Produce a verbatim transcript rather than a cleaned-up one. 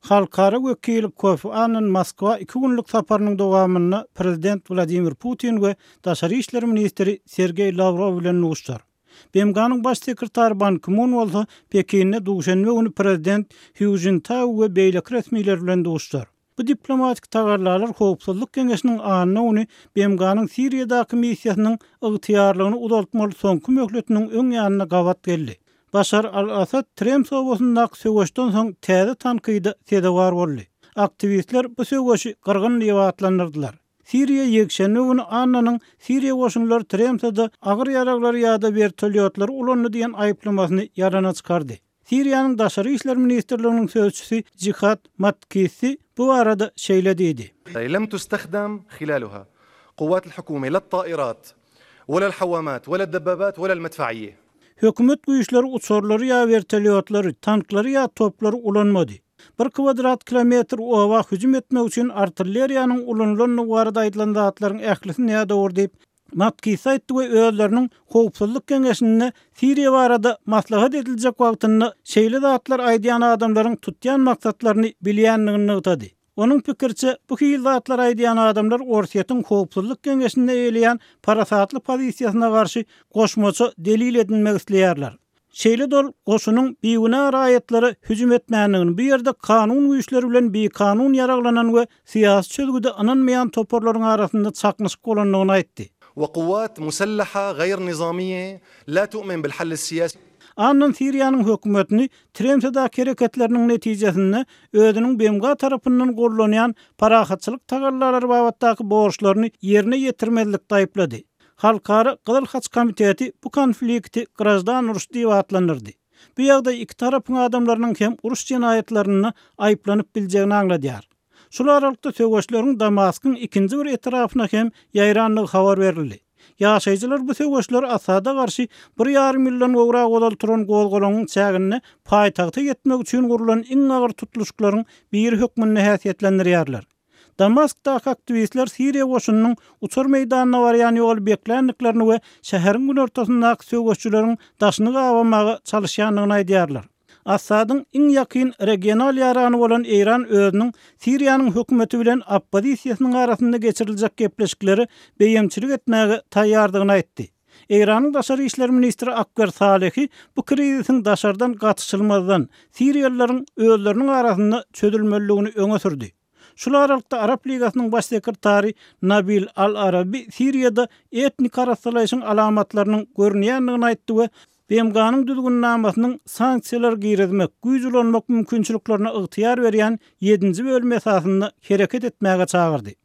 Halkara wekili Kofi Annan Moskwa iki günlük saparynyň dowamynda Prezident Wladimir Putin we Daşary işler ministri Sergeý Lawrow bilen duşuşar. B M G-nyň baş sekretary Ban Ki-mun bolsa Pekinde duşenbe güni Prezident Hu Jintao we beýleki resmiler bilen duşuşar. Bu diplomatik tagallalar Howpsuzlyk Geňeşiniň anna güni B M G-nyň Siriýadaky missiýasynyň ygtyýarlygyny uzaltmaly soňky möhletiniň öň ýanyna gabat geldi. Başar al-Asad Tremse obasyndaky söweşden soň täze tankyda sezewar boldy. Aktiwistler bu söweşi gyrgyn diýip atlandyrdylar. Siriýa ýekşenbe güni Annanyň Siriýa goşunlary Tremsede agyr ýaraglary ýa-da wertolýotlary ulandy diýen aýyplamasyny ýalana çykardy. Siriýanyň Daşary işler ministrliginiň sözçüsi Jihad Matkisi bu barada şeýle diýdi. لم تستخدم خلالها قوات الحكومة لا الطائرات ولا الحوامات ولا الدبابات ولا المدفعية. Hökümet güýçleri uçarlary ýa wertolýotlary, tanklary ýa toplary ulanmady. Bir kwadrat kilometr oba hüjüm etmek üçin artilleriýanyň ulanylandygy barada aýdylan zatlaryň ählisi nädogry diýip, Matkisi aýtdy we özleriniň Howpsuzlyk Geňeşinde Siriýa barada maslahat ediljek wagtynda şeýle zatlar aýdýan adamlaryň tutýan maksatlaryny bilýändigini nygtady. Onuň pikiriçe, bu hili zatlar aýdýan adamlar Orsýetiň Howpsuzlyk Geňeşinde eýeleýän parasatly pozisiýasyna garşy goşmaça delil edinmek isleýärler. Şeýle-de ol goşunyň bigünä raýatlara hüjüm etmändigini, bu ýerde kanun güýçleri bilen bikanun ýaraglanan we syýasy çözgüde ynanmaýan toparlaryň arasynda çaknyşyk bolandygyny aýtdy. وقوات مسلحة غير نظامية لا تؤمن بالحل السياسي. Annan Siriýanyň hökümetini Tremsedäki hereketleriniň netijesinde özüniň B M G tarapyndan gollanýan parahatçylyk tagallalary babatdaky borçlaryny ýerine ýetirmezlikde aýyplady. Halkara Gyzyl Haç Komiteti bu konflikti graždan uruş diýip atlandyrdy. Bu ýagdaý iki tarapyň adamlarynyň hem uruş jenaýatlarynda aýyplanyp biljegini aňladýar. Şul aralykda söweşleriň Damaskyň ikinji bir etrapyna hem ýaýrandygy habar berildi. Ýaşaýjylar bu söweşler Asada garşy bir ýarym ýyldan gowrak ozal turan gozgalaňyň çäginde paýtagta ýetmek üçin gurlan iň agyr tutluşyklaryň biri hökmünde häsiýetlendirýärler. Damaskdaky aktiwistler Siriýa goşunynyň uçar meýdanyna barýan ýoly bekländiklerini we şäheriň günortasyndaky söweşçileriň daşyny gabamaga çalyşýandygyny aýdýarlar. Asadyň iň ýakyn regional ýarany bolan Eýran özüniň Siriýanyň hökümeti bilen oppozisiýasynyň arasynda geçiriljek gepleşikleri beýemçilik etmäge taýýardygyny aýtdy. Eýranyň Daşary işler ministri Akbar Salehi bu krizisiň daşardan gatyşylmazdan Siriýalylaryň özleriniň arasynda çözülmeliligini öňe sürdi. Şul aralykda Arap Ligasynyň baş sekretary Nabil Al-Arabi Siriýada etnik arassalaýşyň alamatlarynyň görünýändigini aýtdy we B M G-nyň düzgünnamasynyň sanksiýalar girizmek, güýç ulanmak mümkinçiliklerine ygtyýar berýän ýedinji bölüm esasynda hereket etmäge çagyrdy.